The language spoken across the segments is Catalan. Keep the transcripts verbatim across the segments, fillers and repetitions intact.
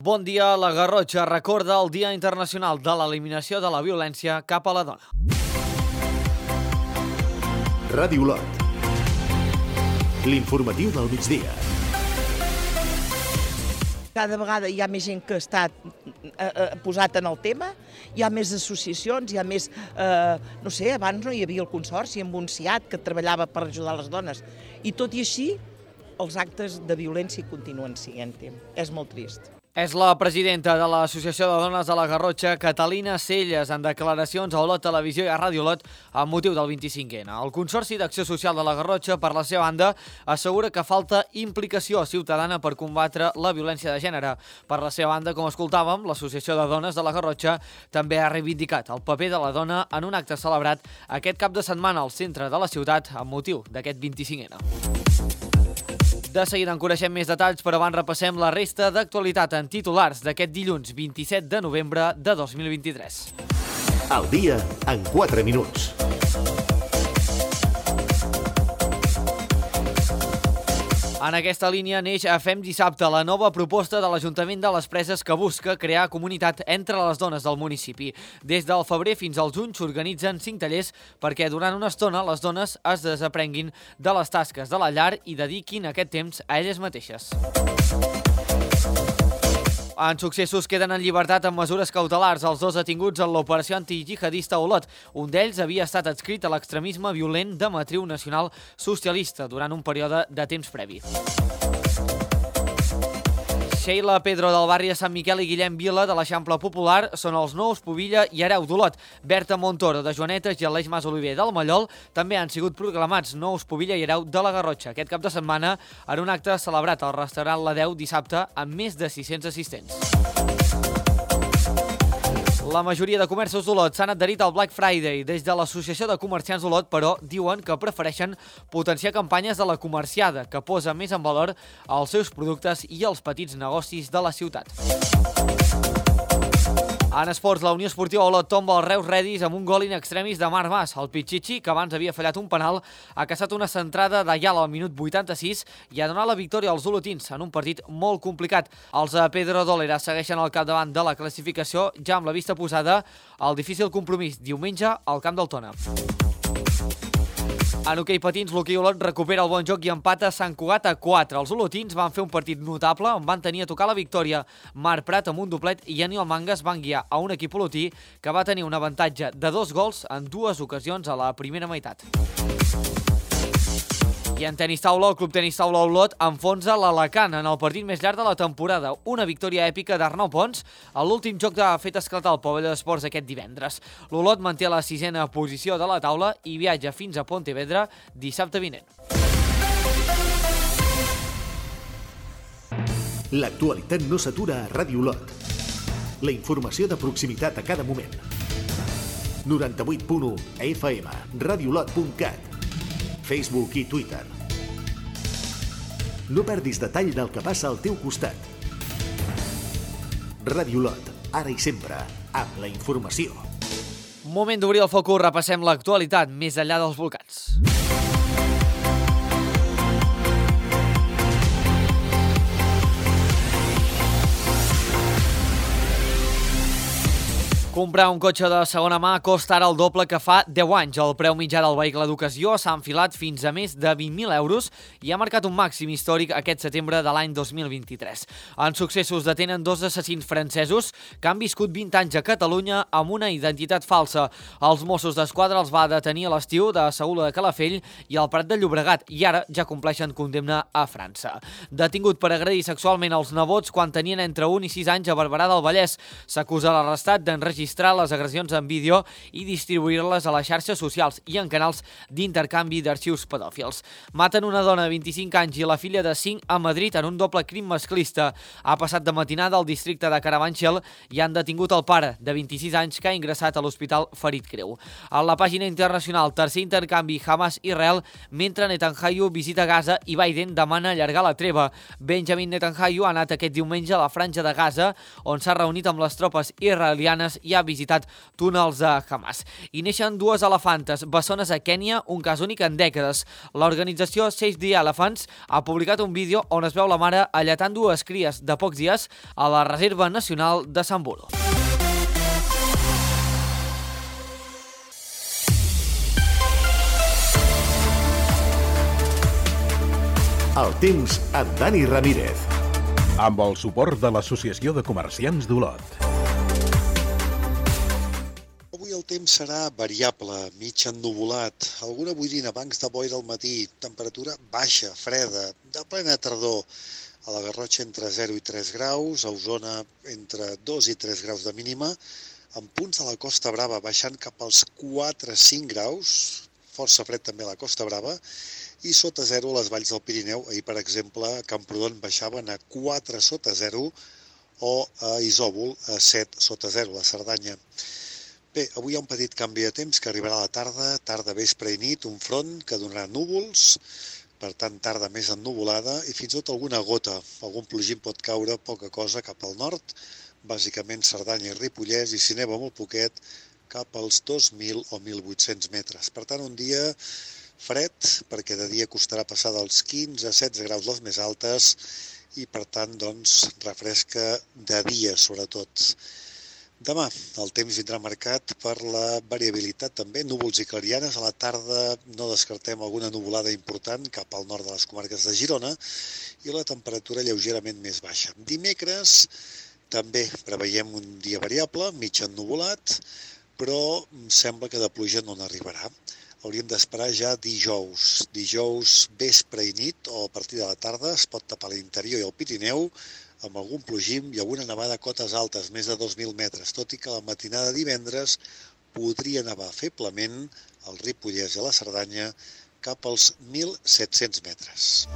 Bon dia, la Garrotxa recorda el Dia Internacional de l'Eliminació de la Violència cap a la Dona. Ràdio Olot. L'informatiu del migdia. Cada vegada hi ha més gent que està eh, posat en el tema, hi ha més associacions, hi ha més... Eh, no sé, abans no hi havia el Consorci amb un C I A T que treballava per ajudar les dones. I tot i així, els actes de violència continuen sent-hi. És molt trist. És la presidenta de l'Associació de Dones de la Garrotxa, Catalina Celles, en declaracions a Olot Televisió i a Ràdio Olot amb motiu del vint-i-cinquè ena. El Consorci d'Acció Social de la Garrotxa, per la seva banda, assegura que falta implicació ciutadana per combatre la violència de gènere. Per la seva banda, com escoltàvem, l'Associació de Dones de la Garrotxa també ha reivindicat el paper de la dona en un acte celebrat aquest cap de setmana al centre de la ciutat amb motiu d'aquest vint-i-cinquè ena. De seguida en coneixem més detalls, però abans repassem la resta d'actualitat en titulars d'aquest dilluns vint-i-set de novembre de dos mil vint-i-tres. El dia en quatre minuts. En aquesta línia neix a Fem Dissabte, la nova proposta de l'Ajuntament de les Preses que busca crear comunitat entre les dones del municipi. Des del febrer fins al juny s'organitzen cinc tallers perquè durant una estona les dones es desaprenguin de les tasques de la llar i dediquin aquest temps a elles mateixes. En successos queden en llibertat amb mesures cautelars els dos detinguts en l'operació antijihadista a Olot. Un d'ells havia estat adscrit a l'extremisme violent de matriu nacional socialista durant un període de temps previ. Sheila Pedro del barri de Sant Miquel i Guillem Vila de l'Eixample Popular són els nous Pubilla i Hereu d'Olot. Berta Montoro de Joanetes i Aleix Mas Oliver del Mallol també han sigut proclamats nous Pubilla i Hereu de la Garrotxa aquest cap de setmana en un acte celebrat al restaurant La Deu dissabte amb més de sis-cents assistents. La majoria de comerços d'Olot s'han adherit al Black Friday. Des de l'Associació de Comerciants d'Olot, però, diuen que prefereixen potenciar campanyes de la comerciada, que posa més en valor els seus productes i els petits negocis de la ciutat. En esports, la Unió Esportiva Olot tomba el Reus Redis amb un gol in extremis de Marc Mas. El Pichichi, que abans havia fallat un penal, ha caçat una centrada d'Ayala al minut vuitanta-sis i ha donat la victòria als olotins en un partit molt complicat. Els de Pedro Dólera segueixen al capdavant de la classificació, ja amb la vista posada al difícil compromís diumenge al Camp del Tona. En hoquei patins, l'Hoquei Olot recupera el bon joc i empata a Sant Cugat a quatre. Els olotins van fer un partit notable on van tenir a tocar la victòria. Marc Prat amb un doblet i Aniol Mangas van guiar a un equip olotí que va tenir un avantatge de dos gols en dues ocasions a la primera meitat. I en tenis taula, el Club Tenis Taula Olot enfonsa l'Alacant en el partit més llarg de la temporada. Una victòria èpica d'Arnau Pons a l'últim joc que ha fet esclatar el pavelló d'esports aquest divendres. L'Olot manté la sisena posició de la taula i viatja fins a Pontevedra dissabte vinent. L'actualitat no s'atura a Ràdio Olot. La informació de proximitat a cada moment. noranta-vuit punt u F M, radiolot punt cat. Facebook i Twitter. No perdis detall del que passa al teu costat. Ràdio Olot, ara i sempre, amb la informació. Moment d'obrir el focus, repassem l'actualitat més enllà dels volcans. Comprar un cotxe de segona mà costa ara el doble que fa deu anys. El preu mitjà del vehicle d'ocasió s'ha enfilat fins a més de vint mil euros i ha marcat un màxim històric aquest setembre de l'any dos mil vint-i-tres. En successos detenen dos assassins francesos que han viscut vint anys a Catalunya amb una identitat falsa. Els Mossos d'Esquadra els va detenir a l'estiu de Saula de Calafell i al Prat de Llobregat i ara ja compleixen condemna a França. Detingut per agredir sexualment els nebots quan tenien entre un i sis anys a Barberà del Vallès. S'acusa l'arrestat d'enregistrar les agressions en vídeo i distribuir-les a les xarxes socials i en canals d'intercanvi d'arxius pedòfils. Maten una dona de vint-i-cinc anys i la filla de cinc a Madrid en un doble crim masclista. Ha passat de matinada al districte de Carabanchel i han detingut el pare, de vint-i-sis anys, que ha ingressat a l'hospital ferit greu. A la pàgina internacional, tercer intercanvi Hamas-Israel, mentre Netanyahu visita Gaza i Biden demana allargar la treva. Benjamin Netanyahu ha anat aquest diumenge a la franja de Gaza, on s'ha reunit amb les tropes israelianes i i ha visitat túnels de Hamas. I neixen dues elefantes bessones a Kènia, un cas únic en dècades. L'organització Save the Elephants ha publicat un vídeo on es veu la mare alletant dues cries de pocs dies a la Reserva Nacional de Samburu. El temps amb Dani Ramírez. Amb el suport de l'Associació de Comerciants d'Olot. Avui el temps serà variable, mig ennuvolat, alguna boirina, bancs de boira al matí, temperatura baixa, freda, de plena tardor. A la Garrotxa entre zero i tres graus, a Osona entre dos i tres graus de mínima, amb punts de la Costa Brava baixant cap als quatre a cinc graus, força fred també a la Costa Brava, i sota zero a les valls del Pirineu. Ahir, per exemple, a Camprodon baixaven a quatre sota zero o a Isòvol a set sota zero, a la Cerdanya. Bé, avui hi ha un petit canvi de temps que arribarà a la tarda, tarda, vespre i nit, un front que donarà núvols, per tant tarda més ennuvolada i fins i tot alguna gota, algun plogim pot caure, poca cosa cap al nord, bàsicament Cerdanya i Ripollès, i si neva molt poquet cap als dos mil o mil vuit-cents metres. Per tant, un dia fred, perquè de dia costarà passar dels quinze a setze graus les més altes i, per tant, doncs, refresca de dia, sobretot. Demà el temps vindrà marcat per la variabilitat també, núvols i clarianes. A la tarda no descartem alguna nuvolada important cap al nord de les comarques de Girona i la temperatura lleugerament més baixa. Dimecres també preveiem un dia variable, mig ennuvolat, però sembla que de pluja no n'arribarà. Hauríem d'esperar ja dijous. Dijous vespre i nit o a partir de la tarda es pot tapar l'interior i el Pirineu amb algun plogim i alguna nevada a cotes altes, més de dos mil metres, tot i que la matinada de divendres podria nevar feblement al Ripollès i a la Cerdanya cap als mil set-cents metres.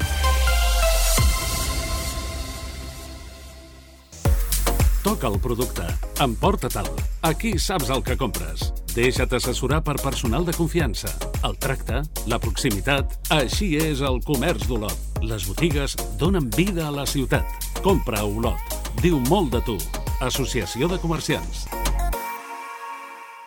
Toca el producte. Emporta-te'l. Aquí saps el que compres. Deixa't assessorar per personal de confiança. El tracte, la proximitat... Així és el comerç d'Olot. Les botigues donen vida a la ciutat. Compra a Olot. Diu molt de tu. Associació de Comerciants.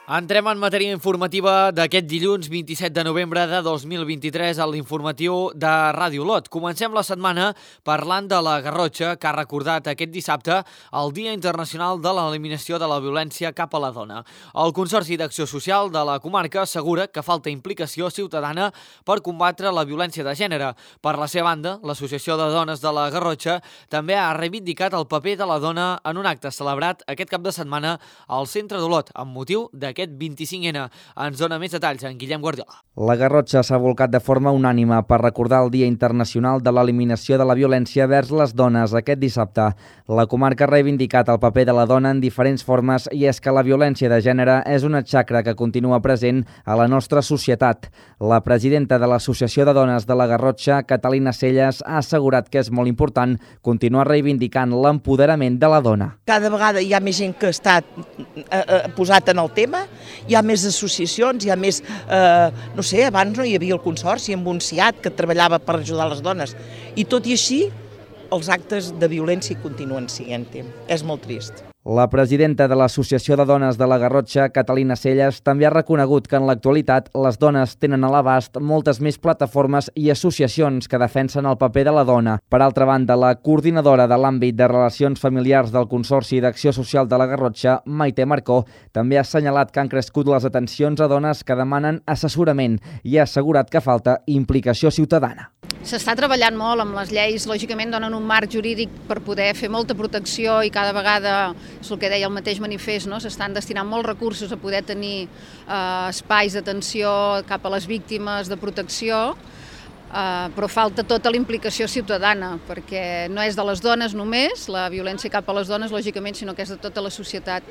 Entrem en matèria informativa d'aquest dilluns vint-i-set de novembre de dos mil vint-i-tres a l'informatiu de Ràdio Olot. Comencem la setmana parlant de la Garrotxa, que ha recordat aquest dissabte el Dia Internacional de l'Eliminació de la Violència cap a la Dona. El Consorci d'Acció Social de la comarca assegura que falta implicació ciutadana per combatre la violència de gènere. Per la seva banda, l'Associació de Dones de la Garrotxa també ha reivindicat el paper de la dona en un acte celebrat aquest cap de setmana al centre d'Olot, amb motiu de aquest vint-i-cinc ena. Ens dona més detalls en Guillem Guardiola. La Garrotxa s'ha volcat de forma unànime per recordar el Dia Internacional de l'Eliminació de la Violència vers les dones aquest dissabte. La comarca ha reivindicat el paper de la dona en diferents formes i és que la violència de gènere és una xacra que continua present a la nostra societat. La presidenta de l'Associació de Dones de la Garrotxa, Catalina Celles, ha assegurat que és molt important continuar reivindicant l'empoderament de la dona. Cada vegada hi ha més gent que està eh, posat en el tema, hi ha més associacions, hi ha més, eh, no sé, abans no hi havia el Consorci amb un SIAT que treballava per ajudar les dones, i tot i així els actes de violència continuen sent-hi. És molt trist. La presidenta de l'Associació de Dones de la Garrotxa, Catalina Celles, també ha reconegut que en l'actualitat les dones tenen a l'abast moltes més plataformes i associacions que defensen el paper de la dona. Per altra banda, la coordinadora de l'àmbit de relacions familiars del Consorci d'Acció Social de la Garrotxa, Maite Marcó, també ha assenyalat que han crescut les atencions a dones que demanen assessorament i ha assegurat que falta implicació ciutadana. S'està treballant molt amb les lleis, lògicament donen un marc jurídic per poder fer molta protecció i cada vegada, és el que deia el mateix manifest, no? S'estan destinant molts recursos a poder tenir eh, espais d'atenció cap a les víctimes de protecció, eh, però falta tota la implicació ciutadana, perquè no és de les dones només, la violència cap a les dones, lògicament, sinó que és de tota la societat.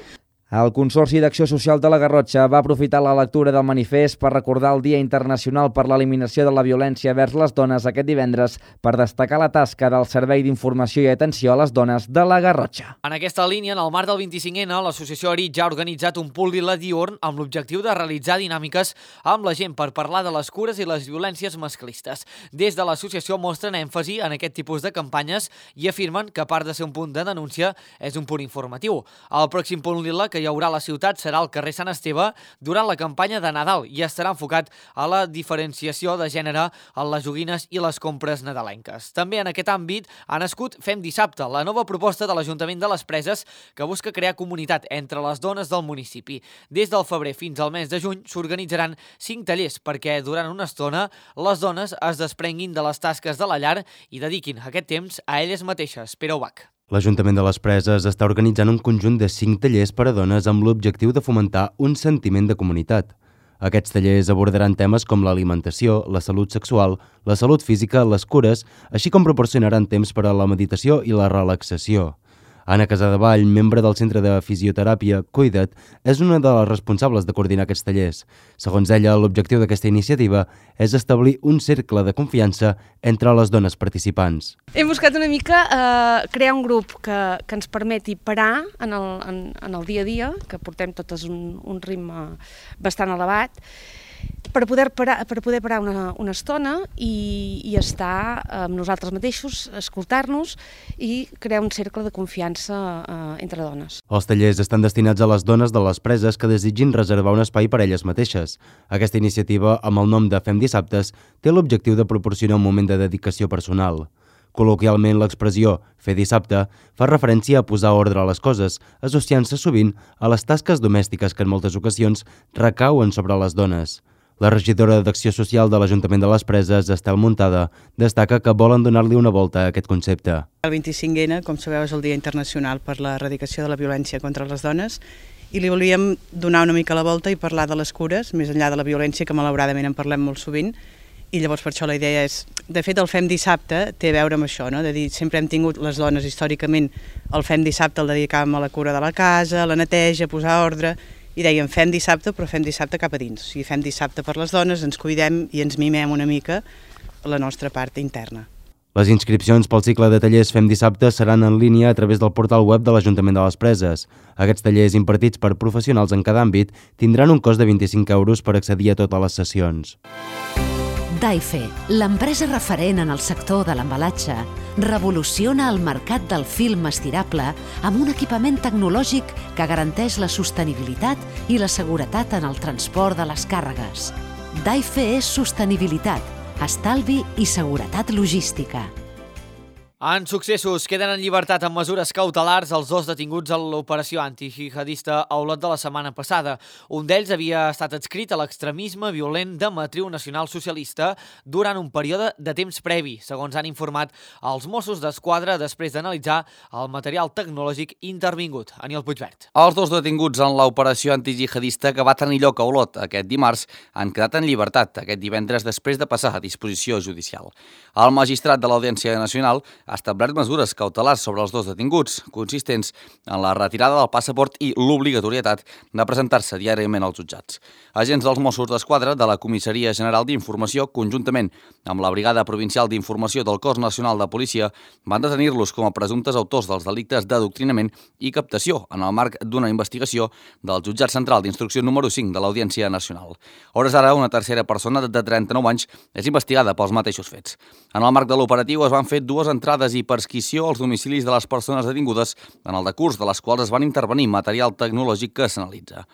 El Consorci d'Acció Social de la Garrotxa va aprofitar la lectura del manifest per recordar el Dia Internacional per l'Eliminació de la Violència vers les dones aquest divendres per destacar la tasca del Servei d'Informació i Atenció a les Dones de la Garrotxa. En aquesta línia, en el marc del vint-i-cinc ena, l'associació Aritz ha organitzat un pul·lila diürn amb l'objectiu de realitzar dinàmiques amb la gent per parlar de les cures i les violències masclistes. Des de l'associació mostren èmfasi en aquest tipus de campanyes i afirmen que, a part de ser un punt de denúncia, és un punt informatiu. El pròxim pul·lila, que hi haurà a la ciutat serà al carrer Sant Esteve durant la campanya de Nadal i estarà enfocat a la diferenciació de gènere en les joguines i les compres nadalenques. També en aquest àmbit ha nascut Fem Dissabte, la nova proposta de l'Ajuntament de les Preses que busca crear comunitat entre les dones del municipi. Des del febrer fins al mes de juny s'organitzaran cinc tallers perquè durant una estona les dones es desprenguin de les tasques de la llar i dediquin aquest temps a elles mateixes. Pere Ubach. L'Ajuntament de les Preses està organitzant un conjunt de cinc tallers per a dones amb l'objectiu de fomentar un sentiment de comunitat. Aquests tallers abordaran temes com l'alimentació, la salut sexual, la salut física, les cures, així com proporcionaran temps per a la meditació i la relaxació. Anna Casadevall, membre del Centre de Fisioteràpia Cuida't, és una de les responsables de coordinar aquests tallers. Segons ella, l'objectiu d'aquesta iniciativa és establir un cercle de confiança entre les dones participants. Hem buscat una mica eh, crear un grup que, que ens permeti parar en el, en, en el dia a dia, que portem totes un, un ritme bastant elevat, per poder parar, per poder parar una, una estona i, i estar amb nosaltres mateixos, escoltar-nos i crear un cercle de confiança eh, entre dones. Els tallers estan destinats a les dones de les preses que desitgin reservar un espai per a elles mateixes. Aquesta iniciativa, amb el nom de Fem Dissabtes, té l'objectiu de proporcionar un moment de dedicació personal. Col·loquialment, l'expressió «fer dissabte» fa referència a posar ordre a les coses, associant-se sovint a les tasques domèstiques que en moltes ocasions recauen sobre les dones. La regidora d'Acció Social de l'Ajuntament de les Preses, Estel Muntada, destaca que volen donar-li una volta a aquest concepte. El vint-i-cinc ene, com sabeu, és el Dia Internacional per l'Erradicació de la Violència contra les Dones i li volíem donar una mica la volta i parlar de les cures, més enllà de la violència, que malauradament en parlem molt sovint, i llavors per això la idea és, de fet el Fem Dissabte té a veure amb això, no? De dir, sempre hem tingut les dones històricament, el Fem Dissabte el dedicàvem a la cura de la casa, a la neteja, a posar ordre, i dèiem fem dissabte però fem dissabte cap a dins, o sigui, fem dissabte per les dones, ens cuidem i ens mimem una mica la nostra part interna. Les inscripcions pel cicle de tallers Fem Dissabte seran en línia a través del portal web de l'Ajuntament de les Preses. Aquests tallers impartits per professionals en cada àmbit tindran un cost de vint-i-cinc euros per accedir a totes les sessions. Daife, l'empresa referent en el sector de l'embalatge, revoluciona el mercat del film estirable amb un equipament tecnològic que garanteix la sostenibilitat i la seguretat en el transport de les càrregues. Daife és sostenibilitat, estalvi i seguretat logística. En successos, queden en llibertat amb mesures cautelars els dos detinguts a l'operació antijihadista a Olot de la setmana passada. Un d'ells havia estat adscrit a l'extremisme violent de matriu nacional-socialista durant un període de temps previ, segons han informat els Mossos d'Esquadra després d'analitzar el material tecnològic intervingut. Aniol Puigvert. Els dos detinguts en l'operació antijihadista que va tenir lloc a Olot aquest dimarts han quedat en llibertat aquest divendres després de passar a disposició judicial. El magistrat de l'Audiència Nacional ha establert mesures cautelars sobre els dos detinguts, consistents en la retirada del passaport i l'obligatorietat de presentar-se diàriament als jutjats. Agents dels Mossos d'Esquadra de la Comissaria General d'Informació, conjuntament amb la Brigada Provincial d'Informació del Cos Nacional de Policia, van detenir-los com a presumptes autors dels delictes d'adoctrinament i captació en el marc d'una investigació del Jutjat Central d'Instrucció número cinc de l'Audiència Nacional. A hores d'ara, una tercera persona de trenta-nou anys és investigada pels mateixos fets. En el marc de l'operatiu es van fer dues entrades i persquició als domicilis de les persones detingudes, en el decurs de les quals es van intervenir material tecnològic que s'analitza.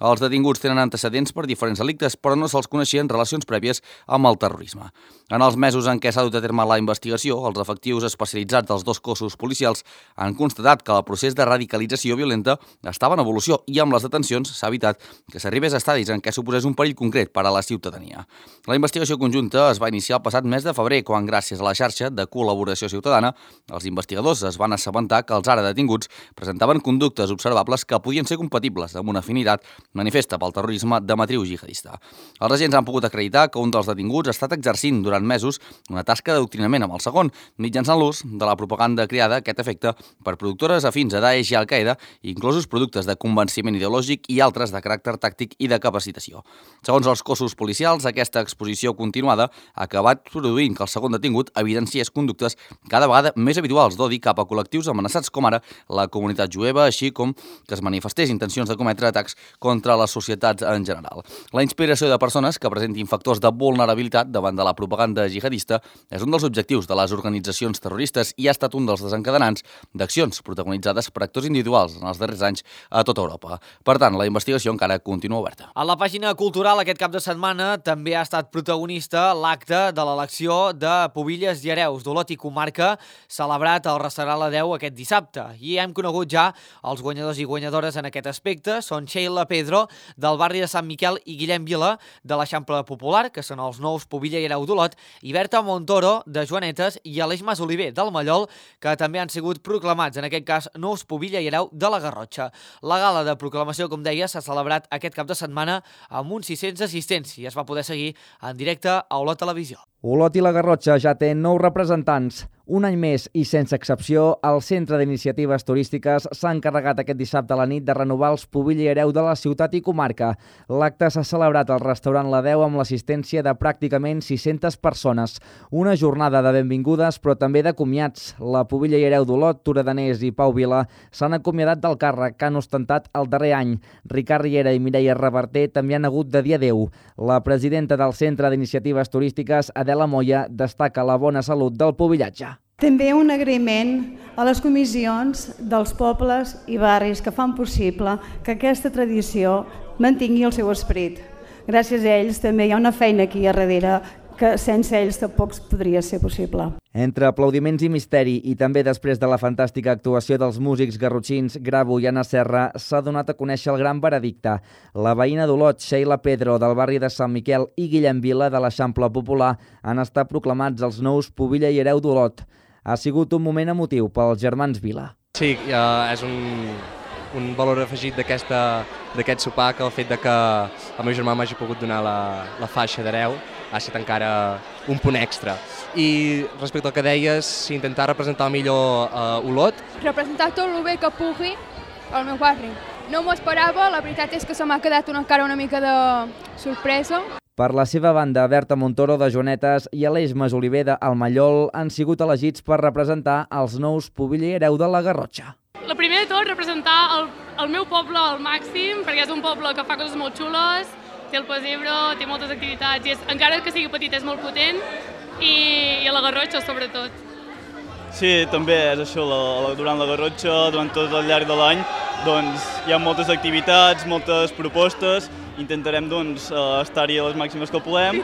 Els detinguts tenen antecedents per diferents delictes, però no se'ls coneixien relacions prèvies amb el terrorisme. En els mesos en què s'ha dut a terme la investigació, els efectius especialitzats dels dos cossos policials han constatat que el procés de radicalització violenta estava en evolució i amb les detencions s'ha evitat que s'arribés a estadis en què suposés un perill concret per a la ciutadania. La investigació conjunta es va iniciar el passat mes de febrer, quan, gràcies a la xarxa de col·laboració ciutadana, els investigadors es van assabentar que els ara detinguts presentaven conductes observables que podien ser compatibles amb una afinitat manifesta pel terrorisme de matriu jihadista. Els agents han pogut acreditar que un dels detinguts ha estat exercint durant mesos una tasca d'adoctrinament amb el segon, mitjançant l'ús de la propaganda creada a aquest efecte per productores afins a Daesh i Al-Qaeda, inclosos productes de convenciment ideològic i altres de caràcter tàctic i de capacitació. Segons els cossos policials, aquesta exposició continuada ha acabat produint que el segon detingut evidenciés conductes cada vegada més habituals d'odi cap a col·lectius amenaçats com ara la comunitat jueva, així com que es manifestés intencions de cometre atacs contra contra les societats en general. La inspiració de persones que presentin factors de vulnerabilitat davant de la propaganda jihadista és un dels objectius de les organitzacions terroristes i ha estat un dels desencadenants d'accions protagonitzades per actors individuals en els darrers anys a tota Europa. Per tant, la investigació encara continua oberta. A la pàgina cultural aquest cap de setmana també ha estat protagonista l'acte de l'elecció de Pubilles i Hereus d'Olot i comarca celebrat al restaurant La Deu aquest dissabte. I hem conegut ja els guanyadors i guanyadores en aquest aspecte. Són Sheila Pedro, del barri de Sant Miquel, i Guillem Vila, de l'Eixample Popular, que són els nous Pubilla i Hereu d'Olot, i Berta Montoro, de Joanetes, i Aleix Mas Oliver, del Mallol, que també han sigut proclamats, en aquest cas, nous Pubilla i Hereu de la Garrotxa. La gala de proclamació, com deia, s'ha celebrat aquest cap de setmana amb uns sis-cents assistents i es va poder seguir en directe a Olot Televisió. Olot i la Garrotxa ja té nou representants. Un any més i sense excepció, el Centre d'Iniciatives Turístiques s'ha encarregat aquest dissabte a la nit de renovar els Pubilla i Hereu de la ciutat i comarca. L'acte s'ha celebrat al restaurant La Deu amb l'assistència de pràcticament sis-centes persones. Una jornada de benvingudes, però també de comiats. La Pubilla i Hereu d'Olot, Tura Danés i Pau Vila s'han acomiadat del càrrec que han ostentat el darrer any. Ricard Riera i Mireia Reverter també han hagut de dir adeu. La presidenta del Centre d'Iniciatives Turístiques, Adela Moya, destaca la bona salut del pubillatge. També un agraïment a les comissions dels pobles i barris que fan possible que aquesta tradició mantingui el seu esperit. Gràcies a ells també hi ha una feina aquí a darrere que sense ells tampoc podria ser possible. Entre aplaudiments i misteri i també després de la fantàstica actuació dels músics garrotxins Gravo i Anna Serra, s'ha donat a conèixer el gran veredicte. La veïna d'Olot, Sheila Pedro, del barri de Sant Miquel, i Guillem Vila, de l'Eixample Popular, han estat proclamats els nous Pubilla i Hereu d'Olot. Ha sigut un moment emotiu pels germans Vila. Sí, uh, és un, un valor afegit d'aquest sopar que el fet de que el meu germà m'hagi pogut donar la, la faixa d'hereu ha estat encara un punt extra. I respecte al que deies, intentar representar millor uh, Olot. Representar tot el bé que pugui al meu barri. No m'ho esperava, la veritat és que se m'ha quedat una cara una mica de sorpresa. Per la seva banda, Berta Montoro, de Joanetes, i Aleix Mas Oliver, del Mallol, han sigut elegits per representar els nous Pubilla i Hereu de la Garrotxa. El primer de tot, representar el, el meu poble al màxim, perquè és un poble que fa coses molt xules, té el pessebre, té moltes activitats, i és, encara que sigui petit és molt potent, i, i a la Garrotxa sobretot. Sí, també és això, la, la, durant la Garrotxa, durant tot el llarg de l'any, doncs hi ha moltes activitats, moltes propostes, intentarem doncs, estar-hi a les màximes que podem.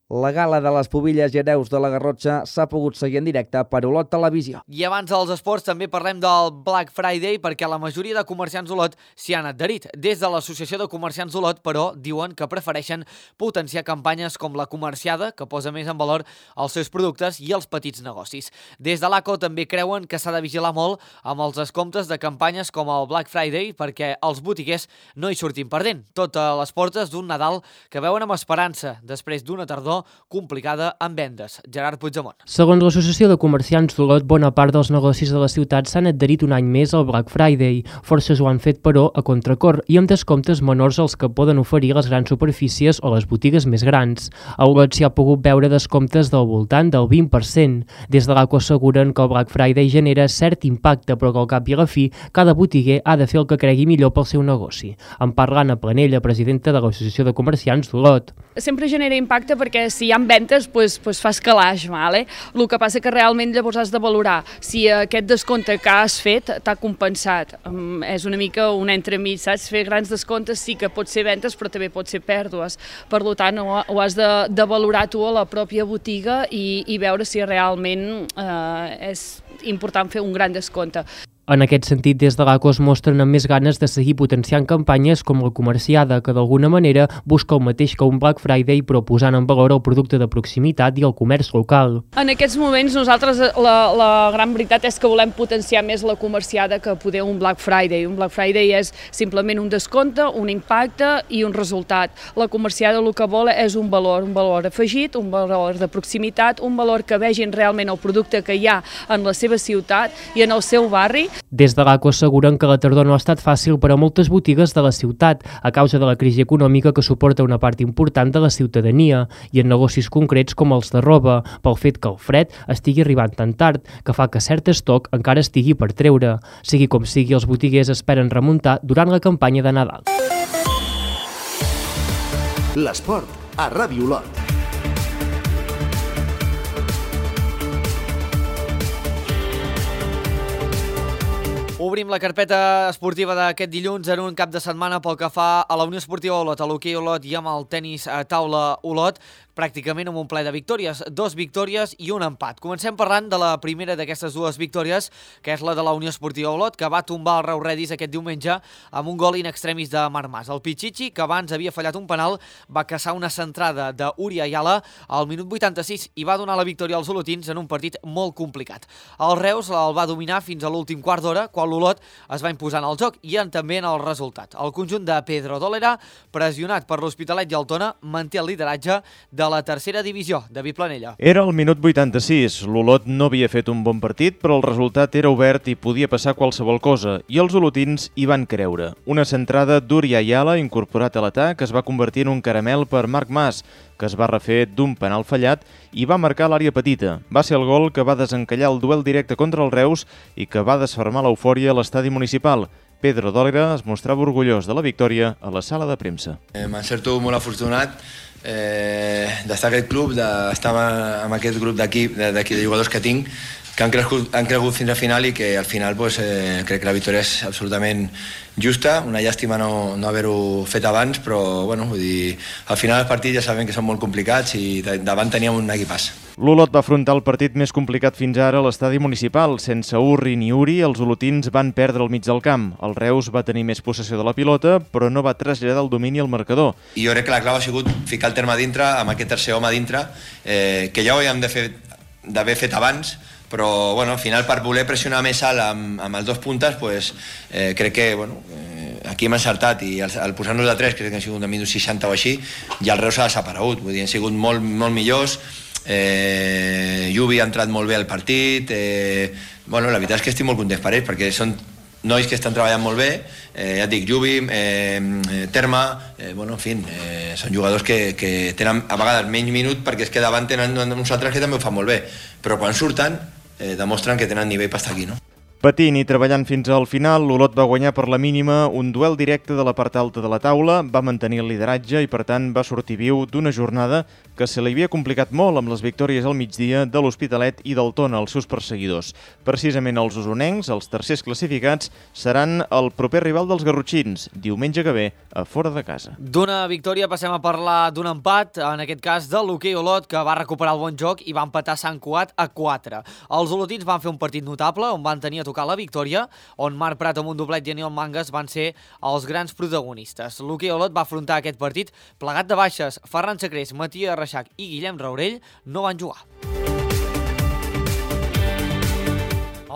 La gala de les Pubilles i Hereus de la Garrotxa s'ha pogut seguir en directe per Olot Televisió. I abans dels esports també parlem del Black Friday perquè la majoria de comerciants d'Olot s'hi han adherit. Des de l'Associació de Comerciants d'Olot, però, diuen que prefereixen potenciar campanyes com la comerciada, que posa més en valor els seus productes i els petits negocis. Des de l'A C O també creuen que s'ha de vigilar molt amb els descomptes de campanyes com el Black Friday perquè els botiguers no hi surtin perdent. Tot a les portes d'un Nadal que veuen amb esperança després d'una tardor complicada en vendes. Gerard Puigdemont. Segons l'Associació de Comerciants d'Olot, bona part dels negocis de la ciutat s'han adherit un any més al Black Friday. Forces ho han fet, però, a contracor i amb descomptes menors als que poden oferir les grans superfícies o les botigues més grans. A Olot s'hi ha pogut veure descomptes del voltant del vint per cent. Des de l'A C O asseguren que el Black Friday genera cert impacte, però que al cap i a la fi cada botiguer ha de fer el que cregui millor pel seu negoci. En parla Anna Planella, presidenta de l'Associació de Comerciants d'Olot. Sempre genera impacte perquè si hi ha ventes, pues, pues fas calaix, vale? El que passa que realment llavors has de valorar si aquest descompte que has fet t'ha compensat. Um, és una mica un entremig, saps? Fer grans descomptes sí que pot ser ventes, però també pot ser pèrdues. Per tant, ho, ho has de, de valorar tu a la pròpia botiga i, i veure si realment eh, és important fer un gran descompte. En aquest sentit, des de l'A C O es mostren amb més ganes de seguir potenciant campanyes com la comerciada, que d'alguna manera busca el mateix que un Black Friday, però posant en valor el producte de proximitat i el comerç local. En aquests moments nosaltres la, la gran veritat és que volem potenciar més la comerciada que poder un Black Friday. Un Black Friday és simplement un descompte, un impacte i un resultat. La comerciada el que vol és un valor, un valor afegit, un valor de proximitat, un valor que vegin realment el producte que hi ha en la seva ciutat i en el seu barri. Des de l'A C O asseguren que la tardor no ha estat fàcil per a moltes botigues de la ciutat a causa de la crisi econòmica que suporta una part important de la ciutadania i en negocis concrets com els de roba, pel fet que el fred estigui arribant tan tard que fa que cert estoc encara estigui per treure. Sigui com sigui, els botiguers esperen remuntar durant la campanya de Nadal. L'esport a Ràdio Olot. Obrim la carpeta esportiva d'aquest dilluns en un cap de setmana pel que fa a la Unió Esportiva Olot, a l'hoquei Olot i amb el tenis a taula Olot, pràcticament amb un ple de victòries, dos victòries i un empat. Comencem parlant de la primera d'aquestes dues victòries, que és la de la Unió Esportiva Olot, que va tombar el Reus Redis aquest diumenge amb un gol in extremis de Marc Mas. El Pichichi, que abans havia fallat un penal, va caçar una centrada d'Uri Ayala al minut vuitanta-sis i va donar la victòria als olotins en un partit molt complicat. El Reus el va dominar fins a l'últim quart d'hora, quan l'Olot es va imposar en el joc i també en el resultat. El conjunt de Pedro Dólera, pressionat per l'Hospitalet i el Tona, manté el lideratge de la tercera divisió. David Planella. Era el minut vuitanta-sis. L'Olot no havia fet un bon partit, però el resultat era obert i podia passar qualsevol cosa, i els olotins hi van creure. Una centrada d'Uri Ayala, incorporat a l'atac, es va convertir en un caramel per Marc Mas, que es va refer d'un penal fallat i va marcar l'àrea petita. Va ser el gol que va desencallar el duel directe contra el Reus i que va desfermar l'eufòria a l'estadi municipal. Pedro Dólera es mostrava orgullós de la victòria a la sala de premsa. Eh, Me'n sento molt afortunat eh, d'estar a aquest club, d'estar amb aquest grup d'equip, de, de jugadors que tinc, que han crescut, han crescut fins al final i que al final pues, eh, crec que la victòria és absolutament justa. Una llàstima no, no haver-ho fet abans, però bueno, vull dir, al final els partits ja sabem que són molt complicats i davant teníem un equipàs. L'Olot va afrontar el partit més complicat fins ara a l'estadi municipal. Sense Urri ni Uri, els olotins van perdre el mig del camp. El Reus va tenir més possessió de la pilota, però no va traslladar el domini al marcador. I jo crec que la clau ha sigut ficar el terme a dintre, amb aquest tercer home a dintre, eh, que ja ho havíem d'haver fet abans, però bueno, al final per voler pressionar més alt amb, amb els dos puntes pues, eh, crec que bueno, eh, aquí hem encertat i al, al posar-nos de tres, crec que han sigut de minut seixanta o així, i el Reus ha desaparegut, vull dir, han sigut molt, molt millors. eh, Lluvi ha entrat molt bé al partit, eh, bueno, la veritat és que estic molt content per ells perquè són nois que estan treballant molt bé, eh, ja et dic, Lluvi, eh, Terma, eh, bueno, en fi, eh, són jugadors que, que tenen a vegades menys minut perquè és que davant tenen uns altres que també ho fan molt bé, però quan surten eh, demostren que tenen nivell per estar aquí, no? Patint i treballant fins al final, l'Olot va guanyar per la mínima un duel directe de la part alta de la taula, va mantenir el lideratge i per tant va sortir viu d'una jornada que se li havia complicat molt amb les victòries al migdia de l'Hospitalet i del Tona, els seus perseguidors. Precisament els osonencs, els tercers classificats, seran el proper rival dels garrotxins, diumenge que ve, a fora de casa. D'una victòria passem a parlar d'un empat, en aquest cas de l'hoquei Olot, que va recuperar el bon joc i va empatar Sant Cugat a quatre. Els olotins van fer un partit notable, on van tenir a tocar la victòria, on Marc Prat amb un doblet i Aniol Mangas van ser els grans protagonistes. L'hoquei Olot va afrontar aquest partit plegat de baixes. Ferran Sacrés, Matías Reixac i Guillem Raurell no van jugar.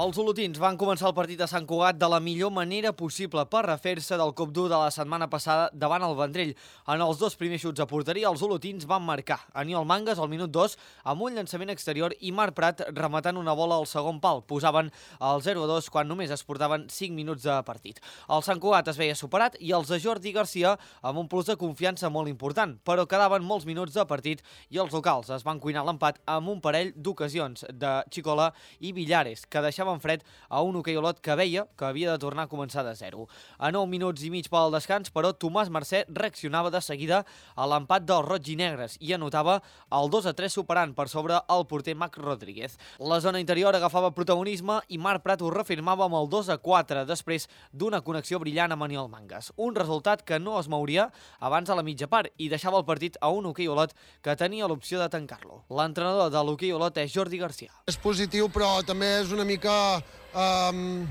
Els olotins van començar el partit a Sant Cugat de la millor manera possible per refer-se del cop dur de la setmana passada davant el Vendrell. En els dos primers xuts a porteria, els olotins van marcar. Aniol Mangas al minut dos amb un llançament exterior i Marc Prat rematant una bola al segon pal. Posaven el zero a dos quan només es portaven cinc minuts de partit. El Sant Cugat es veia superat i els de Jordi Garcia amb un plus de confiança molt important, però quedaven molts minuts de partit i els locals es van cuinar l'empat amb un parell d'ocasions de Xicola i Villares, que deixaven en fred a un hoquei Olot que veia que havia de tornar a començar de zero. A nou minuts i mig pel descans, però Tomàs Mercè reaccionava de seguida a l'empat dels roig i negres i anotava el dos a tres superant per sobre el porter Mac Rodríguez. La zona interior agafava protagonisme i Marc Prat ho reafirmava amb el dos a quatre després d'una connexió brillant amb Aniol Mangas. Un resultat que no es mouria abans de la mitja part i deixava el partit a un hoquei Olot que tenia l'opció de tancar-lo. L'entrenador de l'hoquei Olot és Jordi Garcia. És positiu, però també és una mica Um,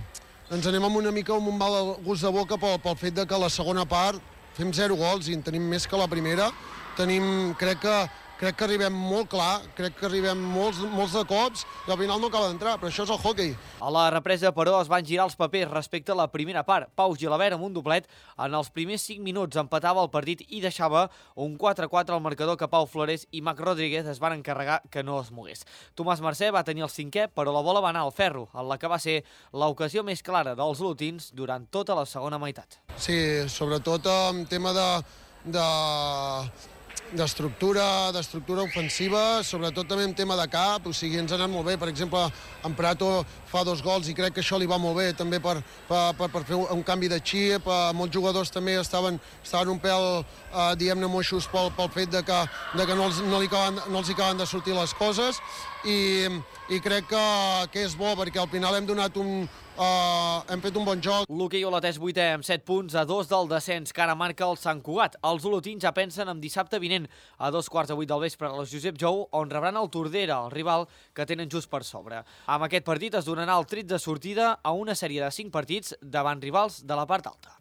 ens anem amb una mica amb un mal gust de boca pel, pel fet de que a la segona part fem zero gols i en tenim més que la primera. Tenim, crec que crec que arribem molt clar, crec que arribem molts, molts de cops i al final no acaba d'entrar, però això és el hockey. A la represa, però, es van girar els papers respecte a la primera part. Pau Gilabert, amb un doblet, en els primers cinc minuts empatava el partit i deixava un quatre a quatre al marcador que Pau Flores i Mac Rodríguez es van encarregar que no es mogués. Tomàs Mercè va tenir el cinquè, però la bola va anar al ferro, en la que va ser l'ocasió més clara dels olotins durant tota la segona meitat. Sí, sobretot en tema de... de d'estructura, d'estructura ofensiva, sobretot també en tema de cap, o sigui, ens ha anat molt bé. Per exemple, en Prato fa dos gols i crec que això li va molt bé, també per, per, per, per fer un canvi de xip. Molts jugadors també estaven, estaven un pèl, eh, diguem-ne, moixos pel, pel fet de que, de que no, els, no, li acaben, no els hi acaben de sortir les coses, i, i crec que, que és bo, perquè al final hem donat un, Uh, hem fet un bon joc. L'hoquei olotès vuitè amb set punts a dos del descens que ara marca el Sant Cugat. Els olotins ja pensen en dissabte vinent a dos quarts de vuit del vespre a la Josep Jou, on rebran el Tordera, el rival que tenen just per sobre. Amb aquest partit es donarà el tret de sortida a una sèrie de cinc partits davant rivals de la part alta.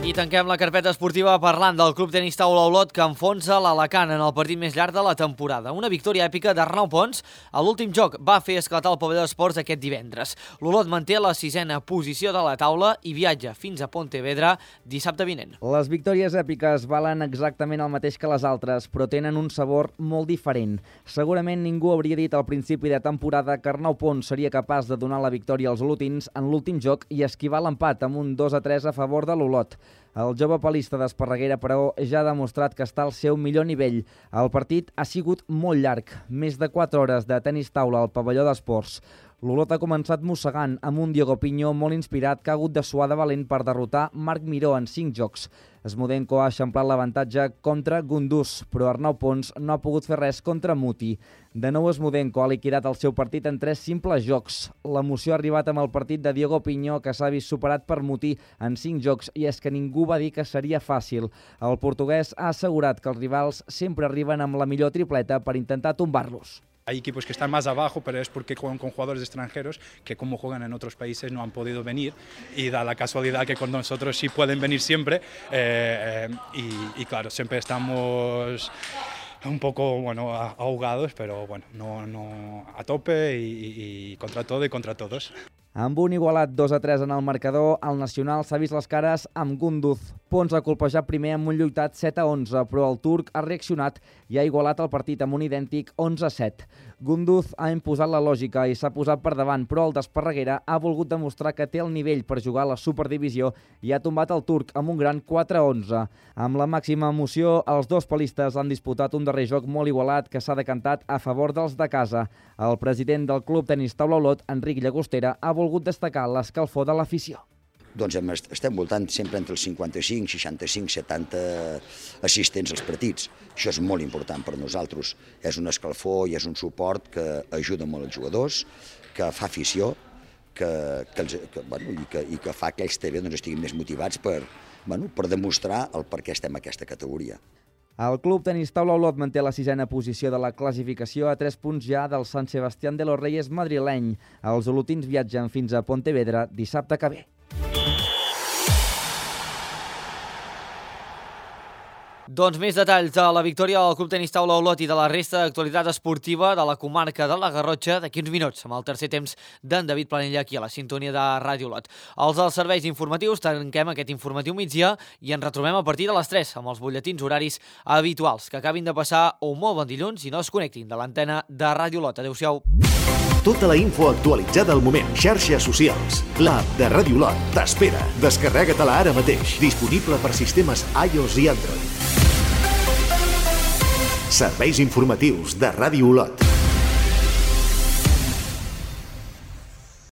I tanquem la carpeta esportiva parlant del Club Tenis Taula Olot que enfonsa l'Alacant en el partit més llarg de la temporada. Una victòria èpica d'Arnau Pons a l'últim joc va fer esclatar el pavelló d'esports aquest divendres. L'Olot manté la sisena posició de la taula i viatja fins a Pontevedra dissabte vinent. Les victòries èpiques valen exactament el mateix que les altres, però tenen un sabor molt diferent. Segurament ningú hauria dit al principi de temporada que Arnau Pons seria capaç de donar la victòria als olotins en l'últim joc i esquivar l'empat amb un dos a tres a favor de l'Olot. El jove palista d'Esparreguera, però, ja ha demostrat que està al seu millor nivell. El partit ha sigut molt llarg, més de quatre hores de tenis taula al pavelló d'esports. L'Olot ha començat mossegant amb un Diogo Piño molt inspirat que ha hagut de suar de valent per derrotar Marc Miró en cinc jocs. Smodenko ha eixamplat l'avantatge contra Gunduz, però Arnau Pons no ha pogut fer res contra Muti. De nou Smodenko ha liquidat el seu partit en tres simples jocs. L'emoció ha arribat amb el partit de Diogo Piño, que s'ha vist superat per Muti en cinc jocs, i és que ningú va dir que seria fàcil. El portuguès ha assegurat que els rivals sempre arriben amb la millor tripleta per intentar tombar-los. Hay equipos que están más abajo, pero es porque juegan con jugadores extranjeros que como juegan en otros países no han podido venir, y da la casualidad que con nosotros sí pueden venir siempre, eh, eh, y, y claro, siempre estamos un poco bueno, ahogados, pero bueno, no, no a tope y, y contra todo y contra todos. Amb un igualat dos a tres en el marcador, el Nacional s'ha vist les cares amb Gunduz. Pons ha colpejat primer amb un lluitat set a onze, però el turc ha reaccionat i ha igualat el partit amb un idèntic onze a set. Gunduz ha imposat la lògica i s'ha posat per davant, però el d'Esparreguera ha volgut demostrar que té el nivell per jugar a la Superdivisió i ha tombat el turc amb un gran quatre a onze. Amb la màxima emoció, els dos palistes han disputat un darrer joc molt igualat que s'ha decantat a favor dels de casa. El president del Club Tenis Taula Olot, Enric Llagostera, ha volgut destacar l'escalfor de l'afició. Doncs estem voltant sempre entre els cinquanta-cinc, seixanta-cinc, setanta assistents als partits. Això és molt important per nosaltres. És un escalfor i és un suport que ajuda molt els jugadors, que fa afició, que, que, que, bueno, i, que, i que fa que ells també doncs, estiguin més motivats per, bueno, per demostrar el per què estem en aquesta categoria. El Club Tenis Taula Olot manté la sisena posició de la classificació a tres punts ja del Sant Sebastián de los Reyes madrileny. Els olotins viatgen fins a Pontevedra dissabte que ve. Doncs més detalls de la victòria del Club Tenis Taula Olot i de la resta d'actualitat esportiva de la comarca de la Garrotxa d'aquí uns minuts, amb el tercer temps d'en David Planella aquí a la sintonia de Ràdio Olot. Els dels serveis informatius tanquem aquest informatiu migdia i ens retrobem a partir de les tres amb els butlletins horaris habituals. Que acabin de passar un molt bon dilluns i no es connectin de l'antena de Ràdio Olot. Adéu-siau. Tota la info actualitzada al moment. Xarxes socials. L'app de Ràdio Olot t'espera. Descarrega-te-la ara mateix. Disponible per sistemes iOS i Android. Serveis informatius de Ràdio Olot.